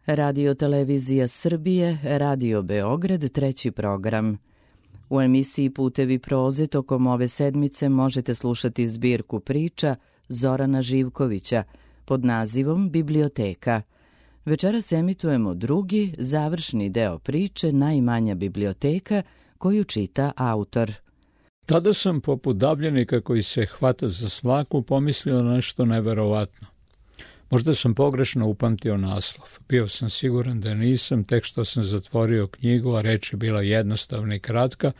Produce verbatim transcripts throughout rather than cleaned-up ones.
Radio Televizija Srbije, Radio Beograd, treći program. U emisiji Putevi proze tokom ove sedmice možete slušati zbirku priča Zorana Živkovića pod nazivom Biblioteka. Večeras emitujemo drugi, završni deo priče Najmanja biblioteka, koju čita autor. Tada sam poput davljenika koji se hvata za svaku pomislio na nešto neverovatno. Možda sam pogrešno upamtio naslov. Bio sam siguran da nisam, tek što sam zatvorio knjigu, a reč je bila jednostavna i kratka,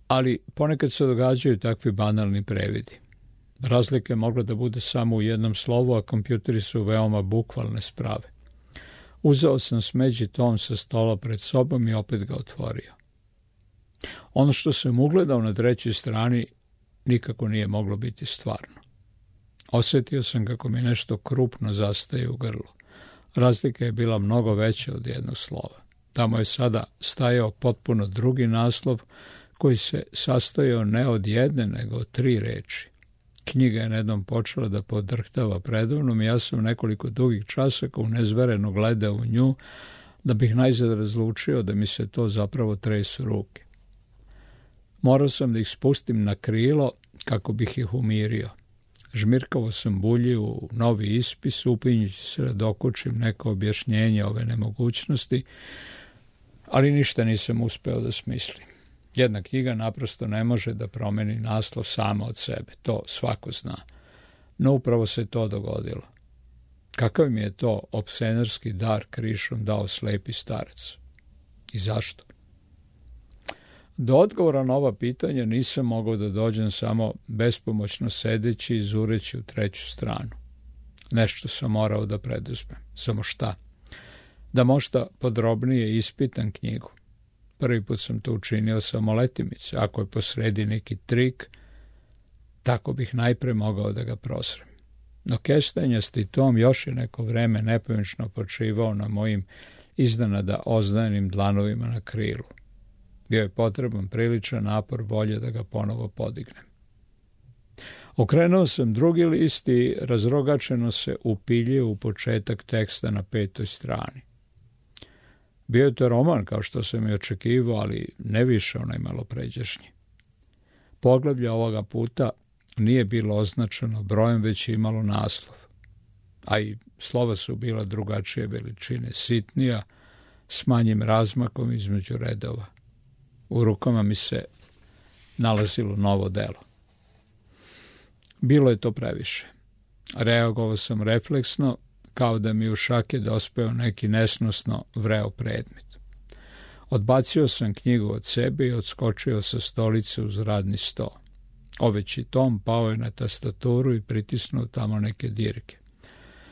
ali ponekad se događaju takvi banalni previdi. Razlika je mogla da bude samo u jednom slovu, a kompjuteri su veoma bukvalne sprave. Uzeo sam smeđi tom sa stola pred sobom i opet ga otvorio. Ono što sam ugledao na trećoj strani nikako nije moglo biti stvarno. Osjetio sam kako mi nešto krupno zastaje u grlu. Razlika je bila mnogo veća od jednog slova. Tamo je sada stajao potpuno drugi naslov koji se sastojao ne od jedne, nego od tri reči. Knjiga je nejednom počela da podrhtava predavnom i ja sam nekoliko dugih časaka unezvereno gledao u nju da bih najzad razlučio da mi se to zapravo tresu ruke. Morao sam da ih spustim na krilo kako bih ih umirio. Žmirkavo sam bulji u novi ispis, upinjući se da dokučim neko objašnjenje ove nemogućnosti, ali ništa nisam uspeo da smislim. Jedna knjiga naprosto ne može da promeni naslov sama od sebe, to svako zna. No upravo se to dogodilo. Kakav mi je to opsenerski dar krišom dao slepi starac? I zašto? Do odgovora na ova pitanja nisam mogao da dođem samo bespomoćno sedeći i zureći u treću stranu. Nešto sam morao da preduzmem. Samo šta? Da možda podrobnije ispitam knjigu. Prvi put sam to učinio samo letimice. Ako je posredi neki trik, tako bih najpre mogao da ga prosrem. No kestenjasti tom još je neko vreme nepomično počivao na mojim iznenada ozdajenim dlanovima na krilu. Bio je potreban priličan napor volje da ga ponovo podignem. Okrenuo sam drugi list i razrogačeno se upiljio u početak teksta na petoj strani. Bio je to roman, kao što sam i očekivao, ali ne više onaj malopređašnji. Poglavlje ovoga puta nije bilo označeno brojem, već je imalo naslov. A i slova su bila drugačije veličine, sitnija, s manjim razmakom između redova. U rukama mi se nalazilo novo delo. Bilo je to previše. Reagovao sam refleksno, kao da mi u šake dospeo neki nesnosno vreo predmet. Odbacio sam knjigu od sebe i odskočio sa stolice uz radni sto. Oveći tom pao je na tastaturu i pritisnuo tamo neke dirke.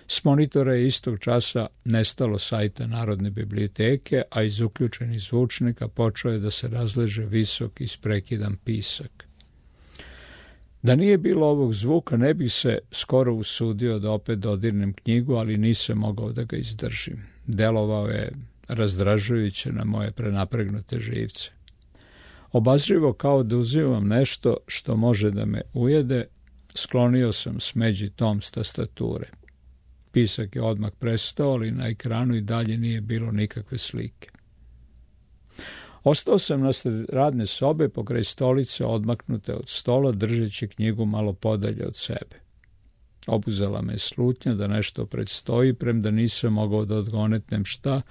S monitora je istog časa nestalo sajta Narodne biblioteke, a iz uključenih zvučnika počeo je da se razleže visok isprekidan pisak. Da nije bilo ovog zvuka, ne bih se skoro usudio da opet dodirnem knjigu, ali nisam mogao da ga izdržim. Delovao je razdražujuće na moje prenapregnute živce. Obazrivo kao da uzimam nešto što može da me ujede, sklonio sam smeđi tom s tastature. Pisak je odmah prestao, ali na ekranu i dalje nije bilo nikakve slike. Ostao sam nasred radne sobe pokraj stolice odmaknute od stola, držeći knjigu malo podalje od sebe. Obuzela me slutnja da nešto predstoji, premda nisam mogao da odgonetnem šta,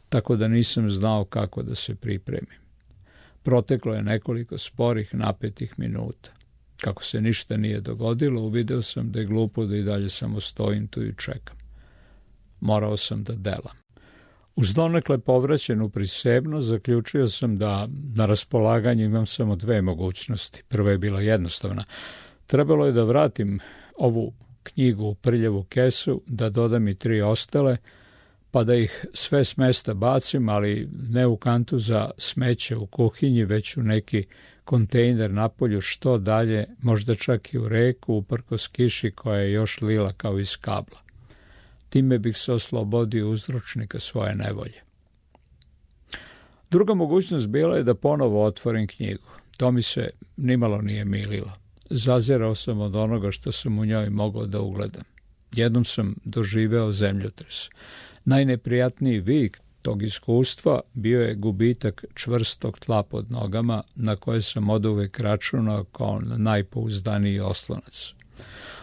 tako da nisam znao kako da se pripremim. Proteklo je nekoliko sporih, napetih minuta. Kako se ništa nije dogodilo, uvideo sam da je glupo da i dalje samo stojim tu i čekam. Morao sam da delam. Uz donekle povraćenu prisebnost zaključio sam da na raspolaganju imam samo dve mogućnosti. Prva je bila jednostavna. Trebalo je da vratim ovu knjigu u prljavu kesu, da dodam i tri ostale, pa da ih sve s mesta bacim, ali ne u kantu za smeće u kuhinji, već u neki kontejner napolju što dalje, možda čak i u reku, uprkos kiši koja je još lila kao iz kabla. Time bih se oslobodio uzročnika svoje nevolje. Druga mogućnost bila je da ponovo otvorim knjigu. To mi se nimalo nije mililo. Zazirao sam od onoga što sam u njoj mogao da ugledam. Jednom sam doživeo zemljotres. Najneprijatniji vik tog iskustva bio je gubitak čvrstog tla pod nogama, na koje sam oduvek računao kao na najpouzdaniji oslonac.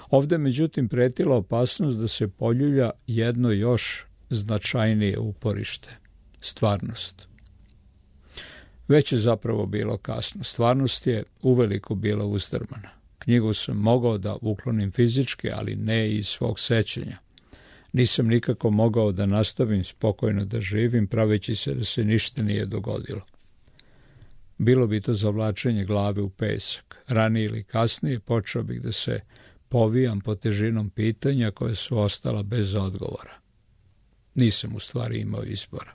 Ovde međutim pretila opasnost da se poljulja jedno još značajnije uporište – stvarnost. Već je zapravo bilo kasno. Stvarnost je uveliko bila uzdrmana. Knjigu sam mogao da uklonim fizički, ali ne i iz svog sećanja. Nisam nikako mogao da nastavim spokojno da živim, praveći se da se ništa nije dogodilo. Bilo bi to zavlačenje glave u pesak. Ranije ili kasnije počeo bih da se povijam pod težinom pitanja koje su ostala bez odgovora. Nisam u stvari imao izbora.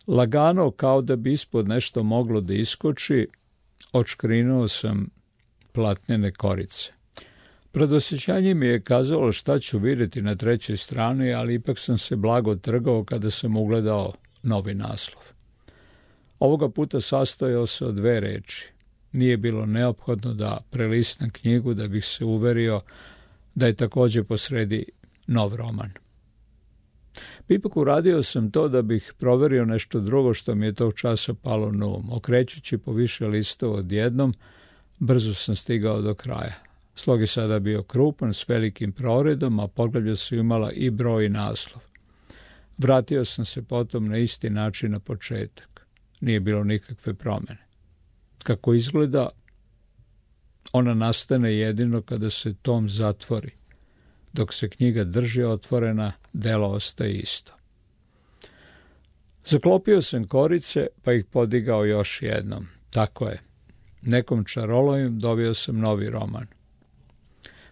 Lagano, kao da bi ispod nešto moglo da iskoči, odškrinuo sam platnene korice. Predosjećanje mi je kazalo šta ću vidjeti na trećoj strani, ali ipak sam se blago trgao kada sam ugledao novi naslov. Ovoga puta sastojao se od dve reči. Nije bilo neophodno da prelistam knjigu da bih se uverio da je također posredi nov roman. Ipak uradio sam to da bih proverio nešto drugo što mi je tog časa palo na um. Okrećući po više listova odjednom, brzo sam stigao do kraja. Slog je sada bio krupan s velikim proredom, a poglavlja su imala i broj i naslov. Vratio sam se potom na isti način na početak. Nije bilo nikakve promjene. Kako izgleda, ona nastane jedino kada se tom zatvori. Dok se knjiga drži otvorena, delo ostaje isto. Zaklopio sam korice, pa ih podigao još jednom. Tako je. Nekom čarolovim dobio sam novi roman.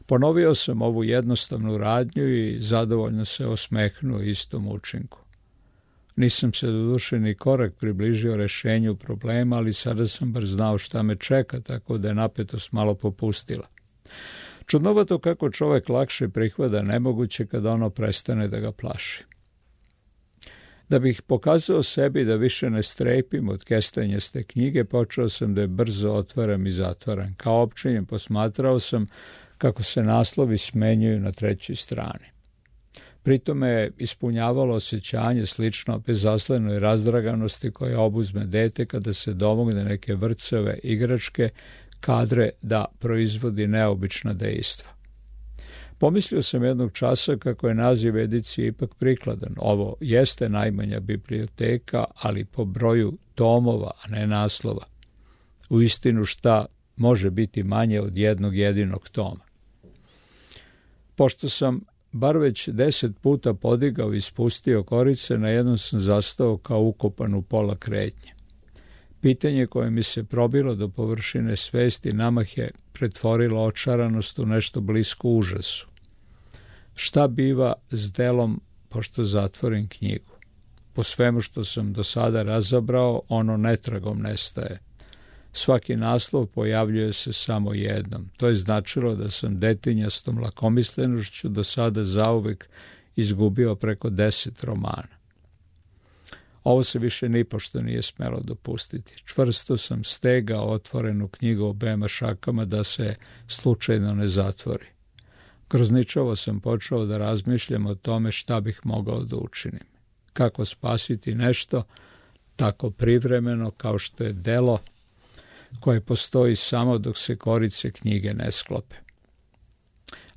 Ponovio sam ovu jednostavnu radnju i zadovoljno se osmehnuo istom učinku. Nisam se doduše ni korak približio rešenju problema, ali sada sam bar znao šta me čeka, tako da je napetost malo popustila. Čudnovato kako čovjek lakše prihvata nemoguće kada ono prestane da ga plaši. Da bih pokazao sebi da više ne strepim od kestenjaste knjige, počeo sam da je brzo otvaram i zatvaram. Kao općenjem posmatrao sam kako se naslovi smenjuju na trećoj strani. Pritom je ispunjavalo osjećanje slično bezazlenoj razdraganosti koja obuzme dete kada se domogne neke vrcove igračke kadre da proizvodi neobična dejstva. Pomislio sam jednog časa kako je naziv edicije ipak prikladan. Ovo jeste najmanja biblioteka, ali po broju tomova, a ne naslova. Uistinu šta može biti manje od jednog jedinog toma. Pošto sam bar već deset puta podigao i spustio korice, na jednom sam zastao kao ukopan u pola kretnje. Pitanje koje mi se probilo do površine svesti namah je pretvorilo očaranost u nešto blisko užasu. Šta biva s delom pošto zatvorim knjigu? Po svemu što sam do sada razabrao, ono netragom nestaje. Svaki naslov pojavljuje se samo jednom. To je značilo da sam detinjastom lakomislenošću do sada zauvek izgubio preko deset romana. Ovo se više nipošto nije smelo dopustiti. Čvrsto sam stegao otvorenu knjigu obema šakama da se slučajno ne zatvori. Grozničavo sam počeo da razmišljam o tome šta bih mogao da učinim. Kako spasiti nešto tako privremeno kao što je delo koje postoji samo dok se korice knjige ne sklope.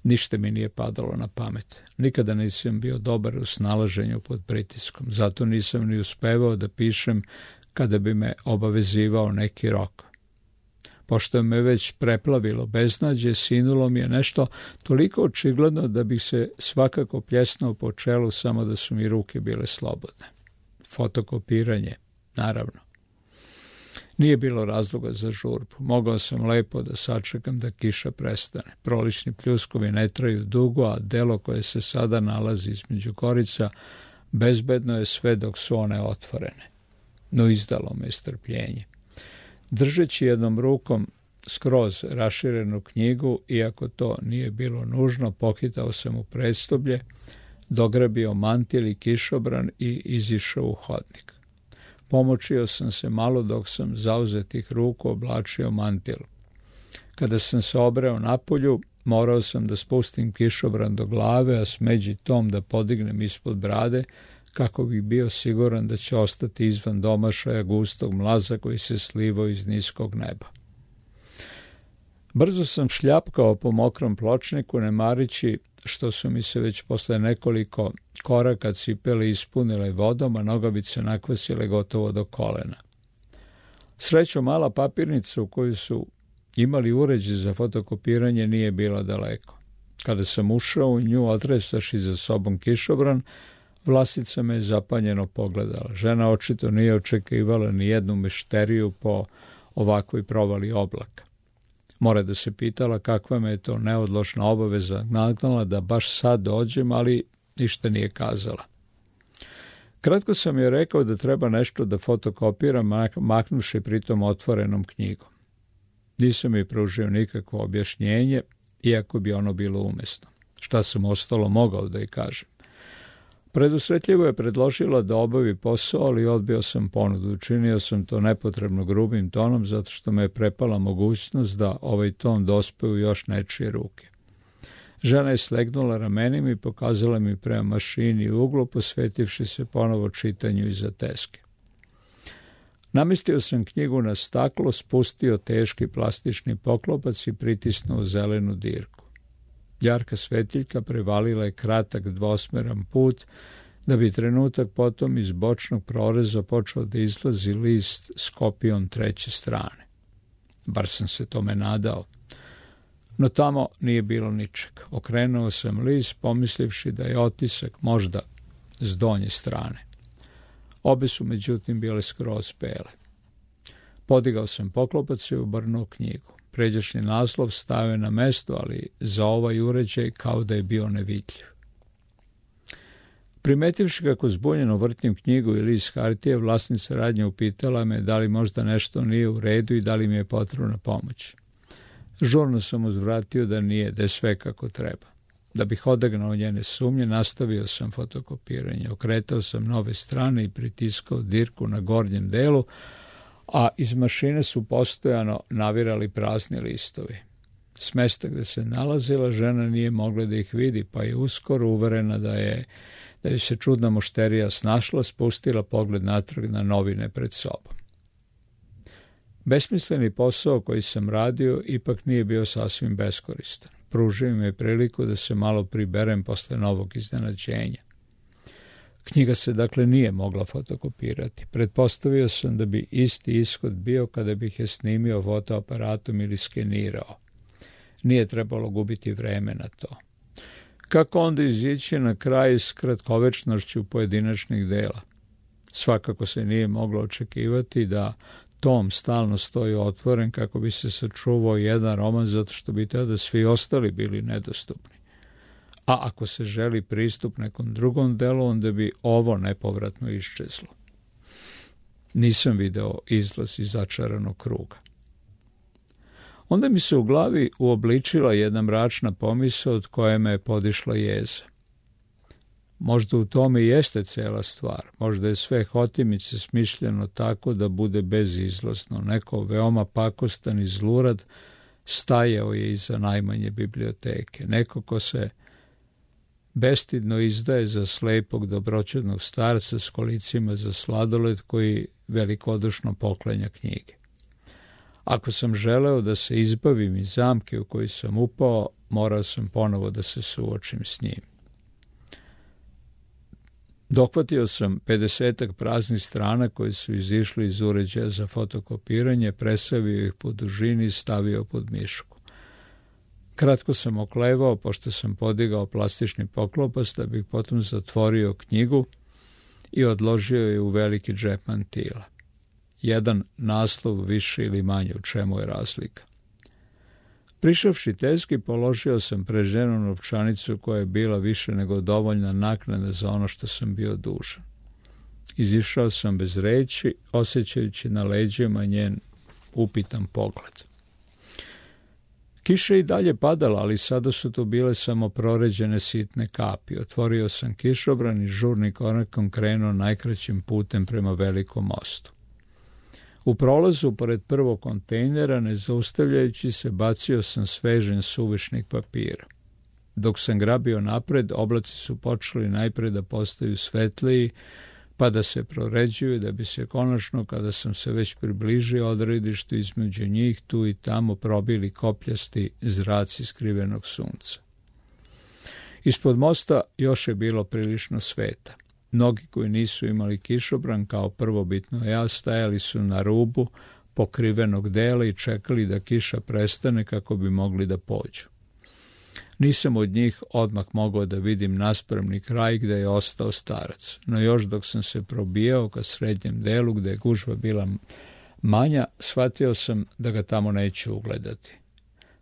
Ništa mi nije padalo na pamet. Nikada nisam bio dobar u snalaženju pod pritiskom. Zato nisam ni uspevao da pišem kada bi me obavezivao neki rok. Pošto me već preplavilo beznađe, sinulo mi je nešto toliko očigledno da bih se svakako pljesnuo po čelu samo da su mi ruke bile slobodne. Fotokopiranje, naravno. Nije bilo razloga za žurbu. Mogao sam lepo da sačekam da kiša prestane. Prolični pljuskovi ne traju dugo, a delo koje se sada nalazi između korica bezbedno je sve dok su one otvorene. No izdalo me strpljenje. Držeći jednom rukom skroz raširenu knjigu, iako to nije bilo nužno, pohitao sam u prestoblje, dograbio mantil i kišobran i izišao u hodnik. Pomočio sam se malo dok sam zauzetih ruku oblačio mantil. Kada sam se obreo napolju, Morao sam da spustim kišobran do glave, a smeđi tom da podignem ispod brade, kako bih bio siguran da će ostati izvan domašaja gustog mlaza koji se slivao iz niskog neba. Brzo sam šljapkao po mokrom pločniku, ne marići što su mi se već posle nekoliko koraka cipele ispunile vodom, a nogavice nakvasile gotovo do kolena. Srećom, mala papirnica u koju su imali uređaj za fotokopiranje nije bila daleko. Kada sam ušao u nju, otresaši za sobom kišobran, Vlasica me je zapanjeno pogledala. Žena očito nije očekivala ni jednu mešteriju po ovakvoj provali oblaka. Mora da se pitala kakva me je to neodložna obaveza nagnala da baš sad dođem, ali ništa nije kazala. Kratko sam joj rekao da treba nešto da fotokopiram, maknuši pritom otvorenom knjigom. Nisam joj pružio nikakvo objašnjenje, iako bi ono bilo umesno. Šta sam ostalo mogao da joj kažem? Predusretljivo je predložila da obavi posao, ali odbio sam ponudu. Učinio sam to nepotrebno grubim tonom, zato što me je prepala mogućnost da ovaj ton dospe u još nečije ruke. Žena je slegnula ramenima i pokazala mi prema mašini u uglu, posvetivši se ponovo čitanju iza teske. Namestio sam knjigu na staklo, spustio teški plastični poklopac i pritisnuo zelenu dirku. Jarka svetiljka prevalila je kratak dvosmeran put, da bi trenutak potom iz bočnog proreza počeo da izlazi list s kopijom treće strane. Bar sam se tome nadao. No tamo nije bilo ničeg. Okrenuo sam list, pomislivši da je otisak možda s donje strane. Obe su međutim bile skroz bele. Podigao sam poklopac i obrnuo knjigu. Pređašnji naslov stavio na mesto, ali za ovaj uređaj kao da je bio nevidljiv. Primetivši kako zbunjeno vrtim knjigu i list hartije, vlasnica radnje upitala me da li možda nešto nije u redu i da li mi je potrebna pomoć. Žurno sam uzvratio da nije, da je sve kako treba. Da bih odagnao njene sumnje, nastavio sam fotokopiranje. Okretao sam nove strane i pritiskao dirku na gornjem delu, a iz mašine su postojano navirali prazni listovi. S mesta gde se nalazila, žena nije mogla da ih vidi, pa je uskoro uverena da je da je se čudna mušterija snašla, spustila pogled natrag na novine pred sobom. Besmisleni posao koji sam radio ipak nije bio sasvim beskoristan. Pružio mi je priliku da se malo priberem posle novog iznenađenja. Knjiga se dakle nije mogla fotokopirati. Pretpostavio sam da bi isti ishod bio kada bih je snimio fotoaparatom ili skenirao. Nije trebalo gubiti vreme na to. Kako onda izići na kraj s kratkovečnošću pojedinačnih dela? Svakako se nije moglo očekivati da tom stalno stoji otvoren kako bi se sačuvao jedan roman, zato što bi tada svi ostali bili nedostupni. A ako se želi pristup nekom drugom delu, onda bi ovo nepovratno iščezlo. Nisam video izlaz iz začaranog kruga. Onda mi se u glavi uobličila jedna mračna pomisao od koje me je podišla jeza. Možda u tome i jeste cela stvar. Možda je sve hotimice smišljeno tako da bude bezizlazno. Neko veoma pakostan i zlurad stajao je iza najmanje biblioteke. Neko ko se bestidno izdaje za slepog dobroćudnog starca s kolicima za sladoled koji velikodušno poklanja knjige. Ako sam želeo da se izbavim iz zamke u koju sam upao, morao sam ponovo da se suočim s njim. Dohvatio sam pedesetak praznih strana koje su izišli iz uređaja za fotokopiranje, presavio ih po dužini i stavio pod mišku. Kratko sam oklevao, pošto sam podigao plastični poklopac, da bih potom zatvorio knjigu i odložio je u veliki džep mantila. Jedan naslov više ili manje, u čemu je razlika. Prišavši teski, položio sam pred ženu novčanicu koja je bila više nego dovoljna naknada za ono što sam bio dužan. Izišao sam bez reči, osjećajući na leđima njen upitan pogled. Kiša je i dalje padala, ali sada su to bile samo proređene sitne kapi. Otvorio sam kišobran i žurni korakom krenuo najkraćim putem prema velikom mostu. U prolazu pored prvog kontejnera, ne zaustavljajući se, bacio sam svežen suvišnik papira. Dok sam grabio napred, oblaci su počeli najpred da postaju svetliji, pa da se proređuju, da bi se konačno, kada sam se već približio odredištu, između njih tu i tamo probili kopljasti zraci skrivenog sunca. Ispod mosta još je bilo prilično sveta. Mnogi koji nisu imali kišobran, kao prvobitno ja, stajali su na rubu pokrivenog dela i čekali da kiša prestane kako bi mogli da pođu. Nisam od njih odmah mogao da vidim naspremni kraj gde je ostao starac, no još dok sam se probijao ka srednjem delu gde je gužva bila manja, shvatio sam da ga tamo neću ugledati.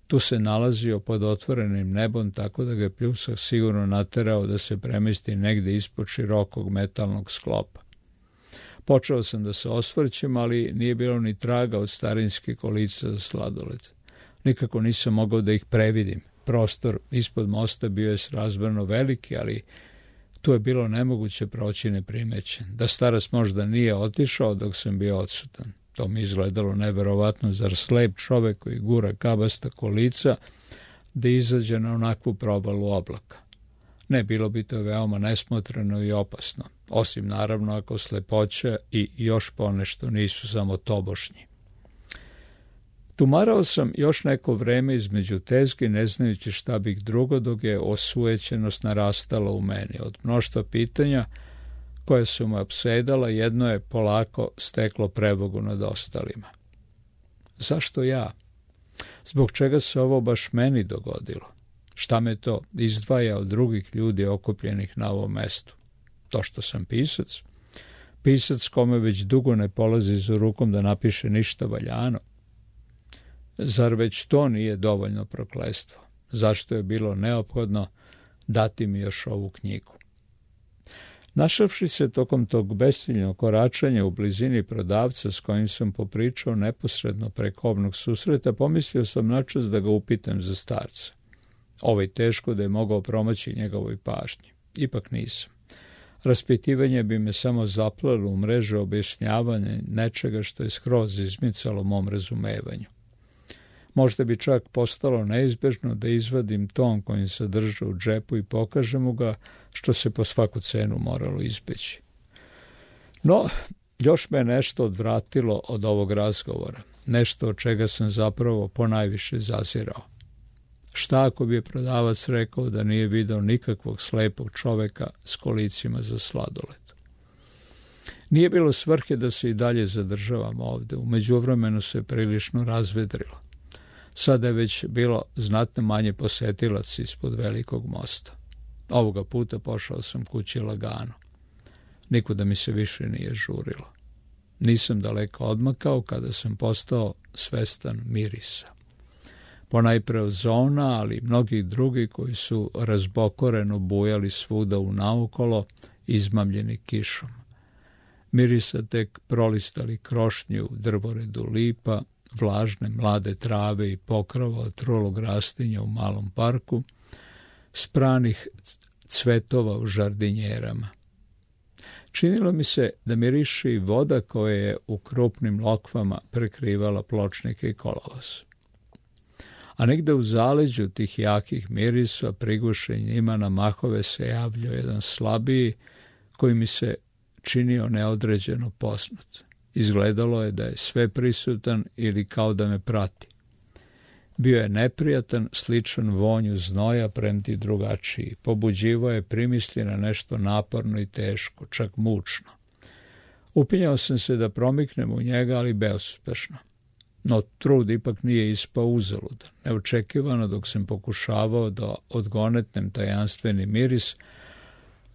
Tu se nalazio pod otvorenim nebom, tako da ga je pljusak sigurno naterao da se premesti negde ispod širokog metalnog sklopa. Počeo sam da se osvrćem, ali nije bilo ni traga od starinskih kolica za sladoled. Nikako nisam mogao da ih previdim. Prostor ispod mosta bio je srazmerno veliki, ali tu je bilo nemoguće proći neprimećen. Da starac možda nije otišao dok sam bio odsutan. To mi izgledalo neverovatno, zar slep čovek koji gura kabasta kolica da izađe na onakvu probalu oblaka. Ne, bilo bi to veoma nesmotreno i opasno, osim naravno ako slepoća i još ponešto nisu samo tobošnji. Tumarao sam još neko vreme između tezgi, ne znajući šta bih drugo, dok je osujećenost narastala u meni. Od mnoštva pitanja koje su me opsedala, jedno je polako steklo prevagu nad ostalima. Zašto ja? Zbog čega se ovo baš meni dogodilo? Šta me to izdvaja od drugih ljudi okupljenih na ovom mestu? To što sam pisac? Pisac kome već dugo ne polazi za rukom da napiše ništa valjano? Zar već to nije dovoljno prokletstvo? Zašto je bilo neophodno dati mi još ovu knjigu? Našavši se tokom tog bestiljnog koračanja u blizini prodavca s kojim sam popričao neposredno preko obnog susreta, pomislio sam načas da ga upitam za starca. Ovaj teško da je mogao promaći njegovoj pažnji. Ipak nisam. Raspitivanje bi me samo zaplalo u mreže objašnjavanja nečega što je skroz izmicalo mom razumevanju. Možda bi čak postalo neizbežno da izvadim ton kojim se drža u džepu i pokažem mu ga, što se po svaku cenu moralo izbeći. No, još me nešto odvratilo od ovog razgovora, nešto od čega sam zapravo ponajviše zazirao. Šta ako bi je prodavac rekao da nije video nikakvog slepog čoveka s kolicima za sladoled? Nije bilo svrhe da se i dalje zadržavam ovde, u međuvremenu se prilično razvedrilo. Sada je već bilo znatno manje posetilaca ispod velikog mosta. Ovoga puta pošao sam kući lagano. Nikuda mi se više nije žurilo. Nisam daleko odmakao kada sam postao svestan mirisa. Ponajpre od zona, ali i mnogih drugih koji su razbokoreno bujali svuda u naokolo, izmamljeni kišom. Mirisa tek prolistali krošnje u drvoredu lipa, vlažne mlade trave i pokrova od trulog rastinja u malom parku, spranih cvetova u žardinjerama. Činilo mi se da miriše i voda koja je u krupnim lokvama prekrivala pločnike i kolovoz. A negde u zaleđu tih jakih mirisa, prigušen njima na mahove, se javljao jedan slabiji koji mi se činio neodređeno poznat. Izgledalo je da je sve prisutan ili kao da me prati. Bio je neprijatan, sličan vonju znoja, premti drugačiji. Pobuđivo je primisli na nešto naporno i teško, čak mučno. Upinjao sam se da promiknem u njega, ali bezuspešno. No trud ipak nije ispao uzaludan. Neočekivano, dok sam pokušavao da odgonetnem tajanstveni miris,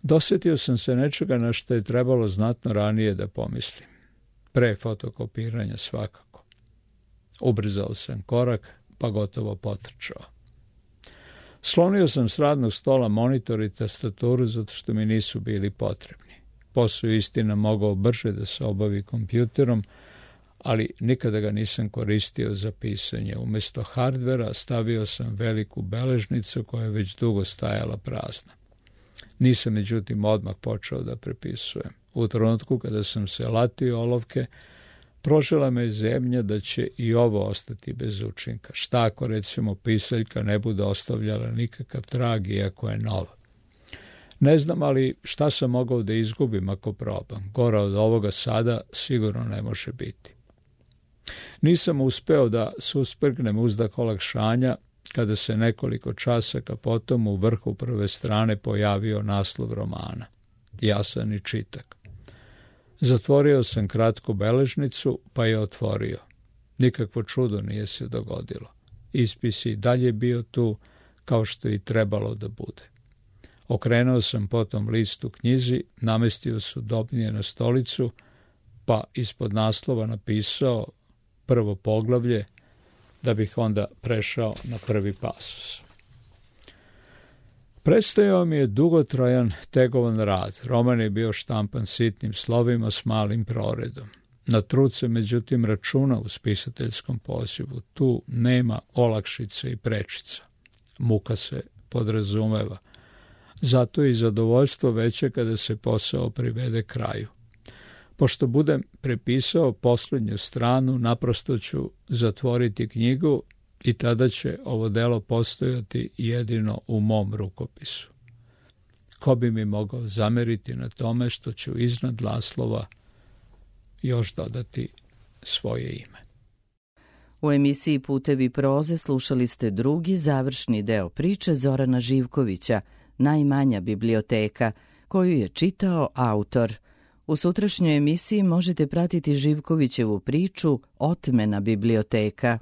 dosetio sam se nečega na što je trebalo znatno ranije da pomislim. Pre fotokopiranja svakako. Ubrzao sam korak, pa gotovo potrčao. Slonio sam s radnog stola monitor i tastaturu zato što mi nisu bili potrebni. Posao istina mogao brže da se obavi kompjuterom, ali nikada ga nisam koristio za pisanje. Umesto hardvera stavio sam veliku beležnicu koja je već dugo stajala prazna. Nisam međutim odmah počeo da prepisujem. U trenutku kada sam se latio olovke, Prožela me zemlja da će i ovo ostati bez učinka. Šta ako, recimo, pisaljka ne bude ostavljala nikakav trag, iako je nova? Ne znam, ali šta sam mogao da izgubim ako probam? Gora od ovoga sada sigurno ne može biti. Nisam uspeo da susprgnem uzdah olakšanja kada se nekoliko časaka potom u vrhu prve strane pojavio naslov romana. Jasan i čitak. Zatvorio sam kratku beležnicu, pa je otvorio. Nikakvo čudo nije se dogodilo. Ispis je dalje bio tu, kao što i trebalo da bude. Okrenuo sam potom list u knjizi, namestio sudobnije na stolicu, pa ispod naslova napisao prvo poglavlje, da bih onda prešao na prvi pasus. Prestajao mi je dugotrajan tegovan rad. Roman je bio štampan sitnim slovima s malim proredom. Na trud se međutim računa u spisateljskom pozivu. Tu nema olakšice i prečica. Muka se podrazumeva. Zato je i zadovoljstvo veće kada se posao privede kraju. Pošto budem prepisao posljednju stranu, naprosto ću zatvoriti knjigu i tada će ovo delo postojati jedino u mom rukopisu. Ko bi mi mogao zameriti na tome što ću iznad naslova još dodati svoje ime? U emisiji Putevi proze slušali ste drugi završni deo priče Zorana Živkovića, Najmanja biblioteka, koju je čitao autor. U sutrašnjoj emisiji možete pratiti Živkovićevu priču Otmena biblioteka.